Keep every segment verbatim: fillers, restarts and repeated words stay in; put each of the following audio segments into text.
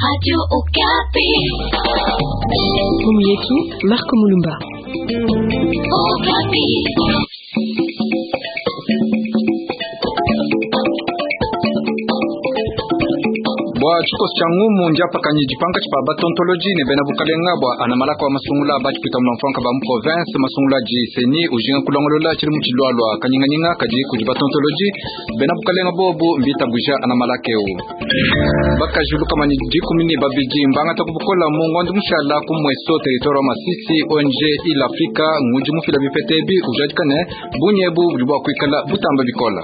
Radio Okapi. Ngumu yetu Marco Mulumba. Okapi. Bua tshikoso tshia ngumu ndiapakanyi dipanga tshipa batontoloji ne bena bukalenga bua anamalaka wa masungula batshipita mulamfuanka ba mu province masungula di seni ujinga kulongolola tshili mu tshilualua kanyinganyinga kadi kudi batontoloji bena bukalenga bobu mbitabuja anamalaka eu bakajuluka manyi dikumi ne babidi mbangata kubukola mu ngondo mushala ku mweso territoire wa Masisi onje il Afrika ngudi mufila bipete ebi ujadikane bunyebu budi bua kuikala butamba bikola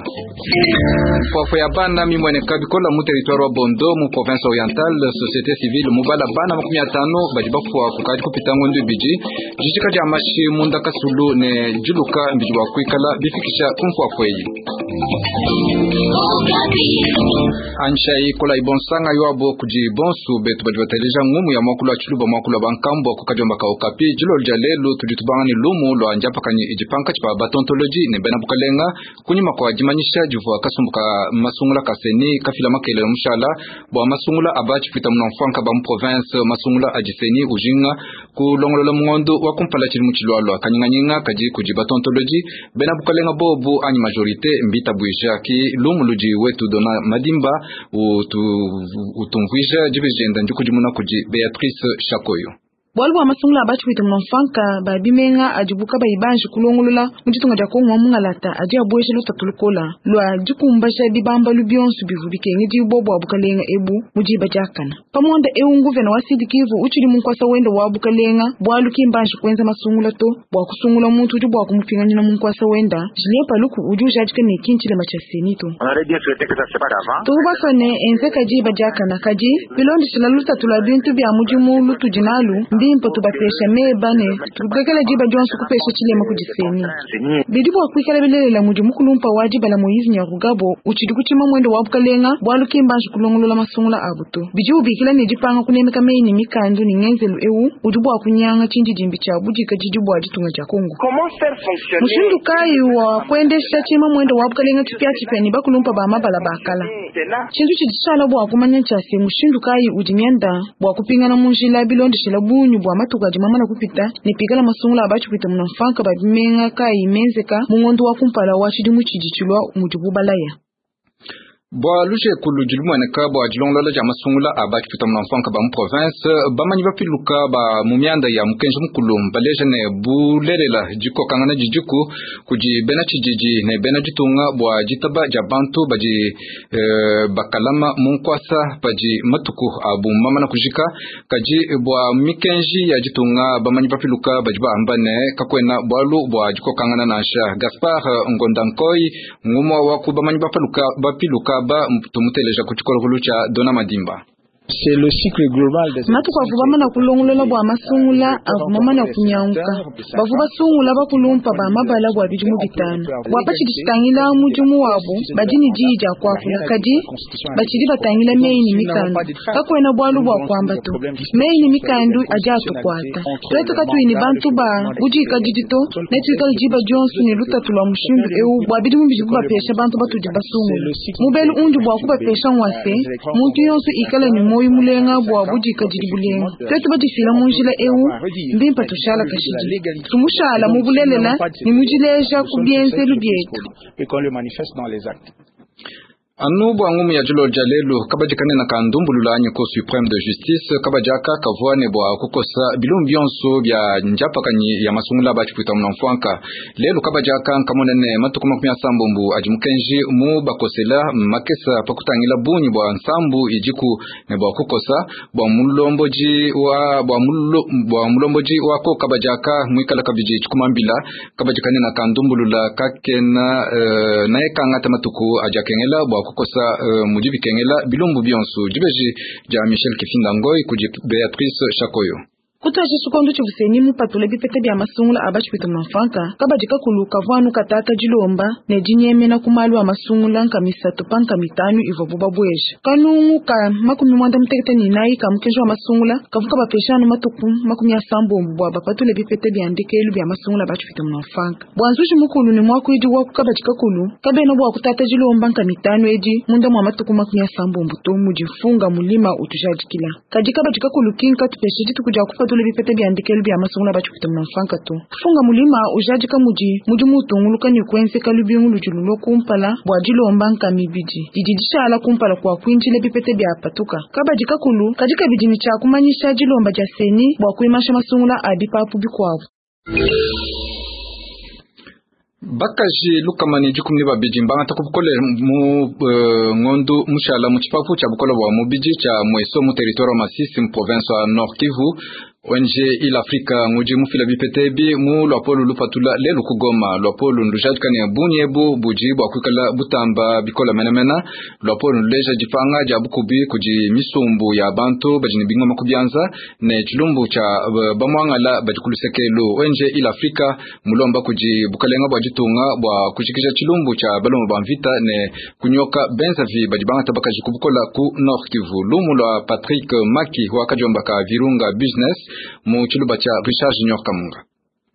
fwafwa ya bana mimweneka bikola mu territoire wa Bondo mu province orientale société civile mubala bana makumi atano badi bafwa kukadi kupita ngondo ibidi jijika dia mashi munda kasulu ne juluka mbidi bua kuikala bifikisha kumfwafwa eyi Okapi. Anshai kola ibonsanga yoabo kudi bonsu betu badi bateleja ngumu ya mwakulu wa tshiluba mwakulu wa bankambo kukadiomba ka Okapi dilolo dia lelu tudi tubanga ne lumu lua ndiapakanyi idipanka tshipa batontoloji ne bena bukalenga kunyima kua dimanyisha divua kasumbu ka masungula ka seni kafila makelele mushala bua masungula aba tshipita munamfuanka ba mu province masungula adi seni ujinga kulongolola mungondo wa kumpala tshili mu tshilualua kanyinganyinga kadi kudi batontoloji bena bukalenga bobu anyi majorité mbitabuija ki lumu ludi wetu dona madimba utu utumvuija dibijenda ndikudimuna kudi Beatrice Shakoyo. Bualu bua masungula abatshipita munamfuanka ba bimenga adibuka bayibanji kulongolola mu ditunga dia Kongo wa mungalata adi abueja lutatu lukola lua dikumbaja bibambalu bionso bivu bikengedibua bua bukalenga ebu mu diba diakana pamonda eu nguvena wa Sud Kivu utshidi munkwasa wenda wa bukalenga bualu kimbanji kuenza masungula to bua kusungula muntu udi bua kumupinganyina munkwasa wenda Julien Paluku udi ujadika ne kintshilema tshia senito On aurait bien souhaité que ça se passe avant. tubasone enzeka diba diakana kadi bilondeshela lutatu lua bintu bia mudimu lutudi nalu mbimpe tubapesha meba ne tulekela diba dionso kupesha tshilema kudi seni Seni bidi bua kuikala bilelela mudi mukulumpa wa dibala Moise Nyarugabo utshidi kutshima mwendo wa bukalenga bualu kimbanji kulongolola masungula abu to bidi ubikila ne dipanga kunemeka meyi ne mikandu ne ngenzelu eu udi bua kunyanga tshindidimbi tshia budikadidi bua ditunga dia Kongo. Comment faire fonctionner Mushindu kayi wa kuendesha tshima mwendo wa bukalenga tshipiatshipia ne bakulumpa ba mabala bakala Sénat tshintu tshidi tshishala bua kumanya tshia se mushindu kayi udi mianda bua kupingana mu njila bilondeshela bunyu bua matuku adi mamana kupita ne pikala masungula abatshipita munamfanka ba bimenga kayi menzeka mu ngondo wa kumpala wa tshidimu tshidi tshilua mudibu balaya. Bua lujeku ludi lumueneka bua dilongolola dia masungula abatshipita munamfuanka ba mu province bamanyi bapiluka ba mu mianda ya mukenji mukulu baleja ne bulelela dikokangana didiku kudi bena tshididi ne bena ditunga bua ditaba dia bantu badi eh, bakalama mu nkwasa padi matuku abu mamana kujika kadi bua mikenji ya ditunga bamanyi bapiluka badi baamba ne kakwena bualu bua dikokangana nansha Gaspard Ngondankoy ngumwa wa ku bamanyi bapiluka bapiluka ba tumuteleja ku tshikolokolo tshia Dona Madimba. C'est le cycle global des Matuku avu bamana kulongolola bua masungula avu mamana kunyanguka bavu basungula bakulumpa ba mabala bua bidimu bitanu bua patshidi tshitangila mudimu wabu badi ne diyi dia kuakula kadi batshidi batangila meyi ne mikandu kakwena bualu bua kuamba to meyi ne mikandu adi atukuata tuetu katuyi ne bantu ba budikadidi to ne tuikale diba dionso ne lutatu lua mushindu eu bua bidimu bidibu bapesha bantu batudi basungula mubelu undi bua kubapesha ngua se muntu yonso ikale ne moyo mulenga bua budikadidi bulenga tuetu badifila mu njila eu mbimpe tushala kashidi tumushala mu bulelela ne mudileja ku bienzelu bietu. Et qu'on le manifeste dans les actes. Anu bua ngumu ya dilolo dia lelu kabadi kanene ka ndumbulula anyi Cour suprême de justice kabadi aka kavua ne bua kukosa bilumbu bionso bia ndiapakanyi ya masungula batshipita munamfuanka lelu kabadi aka nkamonene matuku makumi asambombo adi mukenji mu bakosela makesa pakutangila bunyi bua nsambu idiku ne bua kukosa bua mulomboji wa bua mulo, bua mulomboji wako kabadi aka muikala kabidi tshikumambila kabadi kanene ka ndumbulula kakena uh, naye kangata matuku adi akengela bua kukosa uh, mudi bikengela bilumbu bionso dibeji dia Michel Kifinda Ngoy kudi Beatrice Shakoyo. Kutwaje tshikondo tshivua CENI mupatule bipeta bia masungula a batshipwita munamfuanka kabadi kakulu kavua anu katata dilomba ne dinyemena ku malu a masungula nka misatu pa nka mitanu ivua bu babweja kanungu ka makumi mwanda mutekete ne inayi ka mukenji wa masungula kavua kabapesha anu matuku makumi asambombo bua bapatule bipeta bia ndekelu bia masungula a batshipwita munamfuanka bua nzuji mukulu ne muakuidi wa ku kabadi kakulu kabena bua kutata dilomba nka mitanu edi munda mua matuku makumi asambombo to mudi mfunga mulima utujadikila kadi kabadi kakulu kinka tupeshe dituku dia kupatula bipeta bia ndekelu bia masungula batshipwita munamfuanka to funga mulima ujadika mudi mudi mutunguluka ne kuenzeka lubingu ludi lulua kumpala bua dilomba nka mibidi didi dishala kumpala kua kuinjila bipeta bia patuka kabadi kakulu kadi kabidi ne tshia kumanyisha dilomba dia CENI bua kuimasha masungula a bipapu bikuabu. Bakaji lukama ne dikumi ne babidi mbangata ku bukole mu uh, ngondu mushala mu tshipapu tshia bukole bua mubidi tshia Mweso mu territoire wa Masisi mu province wa Nord Kivu. O N G Il Afrika ngudi mufila bipeta ebi mu luapolo lupatula lelu ku Goma. Luapolo ndujadika ne bungi ebu budi bua kuikala butamba bikola menemene. Luapolo nduleja dipanga dia bukubi kudi misumbu ya bantu badi ne bingoma ku bianza ne tshilumbu tshia bamuangala badi ku lusekelu. O N G Il Afrika mulomba kudi bukalenga bua ditunga bua kujikija tshilumbu tshia balomba ba mvita ne kunyoka benzavi badi bangata bakaji ku bukola ku Nord Kivu. Lumu lua Patrick Maki wa kadiomba ka Virunga Business mu tshiluba tshia Richard Junior Kamunga.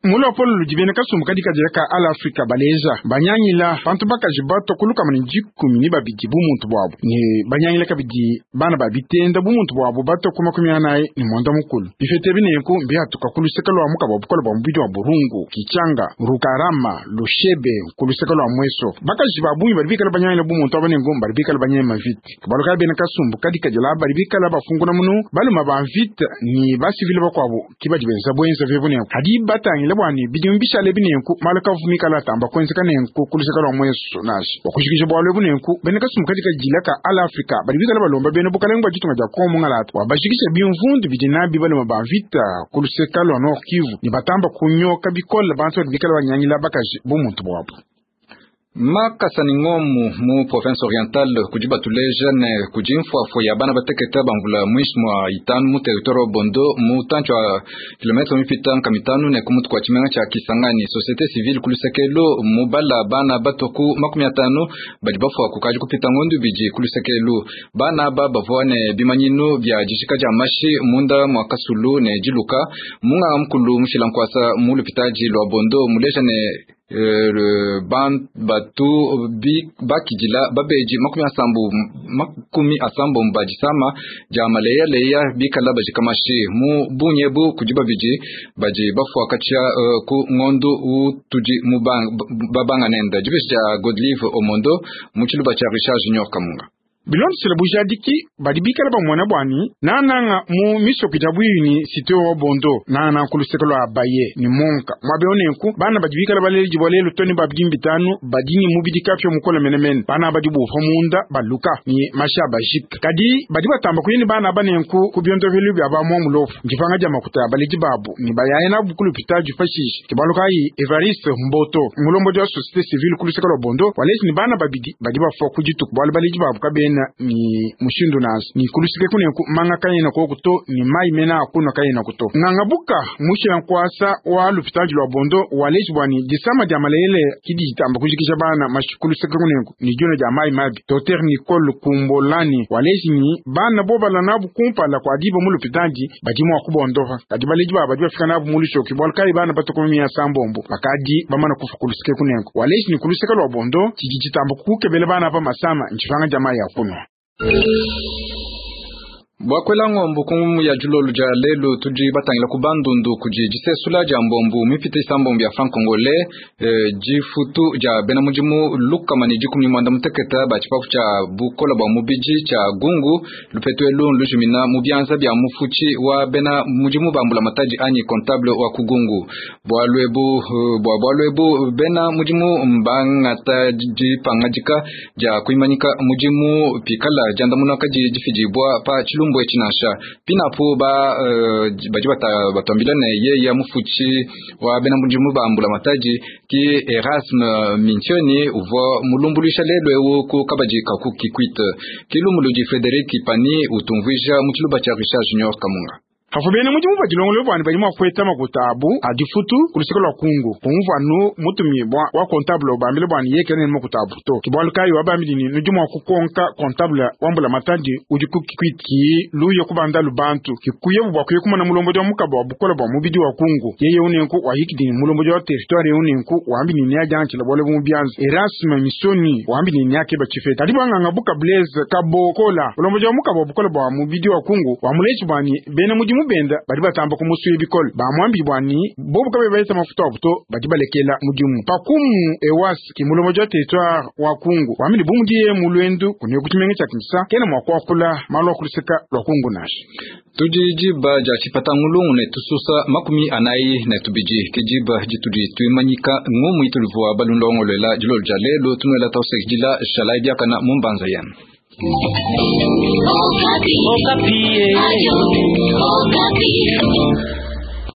Mulopolo ludi bena kasumbu kadi kadila ka All Africa baleja banyangila bantu bakaji bato kulukama ne dikumi ne babidi bu muntu bwabo ne banyangila kabidi bana babitenda bu muntu bwabo bato ku makumi anayi ne mwanda mukulu bifete binenku mbihatuka ku luseke lwa mukaba bukola bwa mubidi wa Burungu Kichanga Rukarama Lushebe ku luseke lwa Mweso bakaji ba bungi bali bikala banyangila bu muntu abanengu bali bikala banyema vite kabaluka bena kasumbu kadi kadila bali bikala bafunguna munu baluma ba vite ni basivile bakwabo kibadi benza bwenza vebunenku hadi batangila bwani bidimu bishale binenku malaka vumikala tamba kwenzeka nenku kuluseka lwa Mweso nashi wakushikisha bwalo bunenku bene kasumbu kadi kadila ka All Africa bali bikala balomba bene bukalenga bwa ditunga dia Kongo mungalata wabashikisha bimvundu bidi nabi baloma ba vita kuluseka lwa Nord Kivu ni batamba kunyoka bikola bantu bali bikala banyangila bakaji bumuntu bwabo. Makasa ni ngomu mu province orientale kudi batuleja ne kudi mfuafua ya bana bateketa bamvula mwishi mwa itanu mu territoire wa Bondo mu tancho wa kilometre mipita nka mitanu ne kumutu kwa tshimenga tshia Kisangani. Société civile kulusekelo mubala bana batoku makumi atanu badi bafua kukaji kupita ngondu bidi kulusekelo bana aba bavua ne bimanyinu bia dishika dia mashi munda mwa kasulu ne diluka munga mukulu mushila nkwasa mu lupitaji lwa Bondo muleja ne ban batu bi bakidila babeji makumi asambu makumi asambu mbajisama dia maleya leya bikala bajikamashi mu bunyebu kudi babidi baji bafua katia uh, ku ngondu utudi mu babanga nenda dibeji dia Godlive Omondo mu tshiluba tshia Richard Junior Kamunga. Bilondesele bujadiki badi bikala bamona bwani nananga mu misoko dia bwini site wa Bondo nana ku luseke lwa Baye ni monka mwabe onenku bana badi bikala baleli jibolelo toni babidi bitanu badini mubidi kapyo mukola menemene bana badi bufa munda baluka ni masha bajik kadi badi batamba kuyini bana banenku ku byondo velu bya ba mu mulofu njipanga dia makuta baledi babu ni bayaye na bukulu pitaji fashishi kibaluka yi Evariste Mboto mulombo dia société civile ku luseke lwa Bondo walesi ni bana babidi badi bafua kujitu bwali baledi babu kabena ni mushindu nazo ni kulusike kunenku manga kayena kokuto ni mai mena akuno kayena kuto ngangabuka mushila nkwasa wa lupitaji lwa Bondo waleji bwani disama dia malele kidi jitamba kujikisha bana mashikulusike kunenku ni jona dia mai mabi Docteur Nicole Kumbolani waleji ni bana bobala nabu kumpala kwa diba mu lupitaji badimu akubondoha kadi baleji baba badi bafika nabu mulushoki bwalkai bana batokomia sambombo bakadi bamana kufa kulusike kunenku waleji ni kulusike lwa Bondo chiji jitamba kukebele bana pa masama nchifanga jamaa ya kuno. Bwakwela ngombo kumu ya julolu ja lelu tudi batangila ku bandundu kudi disesula dia mbombu mipite isambombo ya franc congolais eh, difutu dia bena mudimu lukama ne dikumi mwanda muteketa ba tshipapu tshia bukola bua mubidi tshia gungu lupetu elu lujumina mu bianza bia mufuchi wa bena mudimu bambula matadi anyi comptable wa kugungu bwalu ebu bwa bwalu ebu bena mudimu mbangata dipangadika dia kuimanyika mudimu pikala diandamuna kadi difidibua pa chilumbu echinasha pinapo ba uh, badi batambila ne ye ya mufuchi wa bena mudimu bambula matadi ki Erasme Mintioni uvua mulumbulisha lelo ewu ku kabadi kaku kikwite kilumulu di Frederic Ipani utumvuija mu tshiluba tshia Richard Junior Kamunga. Hafu bena mudimu badilongolole bwani badi mua kueta makuta abu a difutu ku luseke lua kungu kumvua nu mutumi bwa wa comptable ubambile bwani yekele ne makuta abu to kibwalu kayi wabambili ni nudi mua kukonka comptable wambula matadi udi kukikwiti luye kubanda lubantu kikuye bwa kuye kumona mulombodi wa mukaba wa bukola bwa mubidi wa kungu yeye unenku wahikidi mulombodi wa territoire unenku wambili ni ajanchila bwale mu byanzu Erasme Misoni wambili ni akeba chifeta kadi bwanganga buka Blaise Kabokola mulombodi wa mukaba wa bukola bwa mubidi wa kungu wamulechi bwani bena mudimu benda badi batamba kumusuye bikole bamwambi bwani bobu kabe baita mafuta abuto badi balekela mudimu pakumu ewas ki mulombodi wa territoire wa kungu wamili bumudiye mulwendu kunye kuchimenge cha Kinshasa kena mwa kwakula malo kuluseka lwa kungu nashi tudi diba dia tshipata ngulungu ne tususa makumi anayi ne tubidi ke diba ditudi tuimanyika ngumu itulivua balundongolwela dilolo dia lelo tunuela tausekidila shalai diakana mumbanza yenu. Okapi. Okapi. Ayo, Okapi.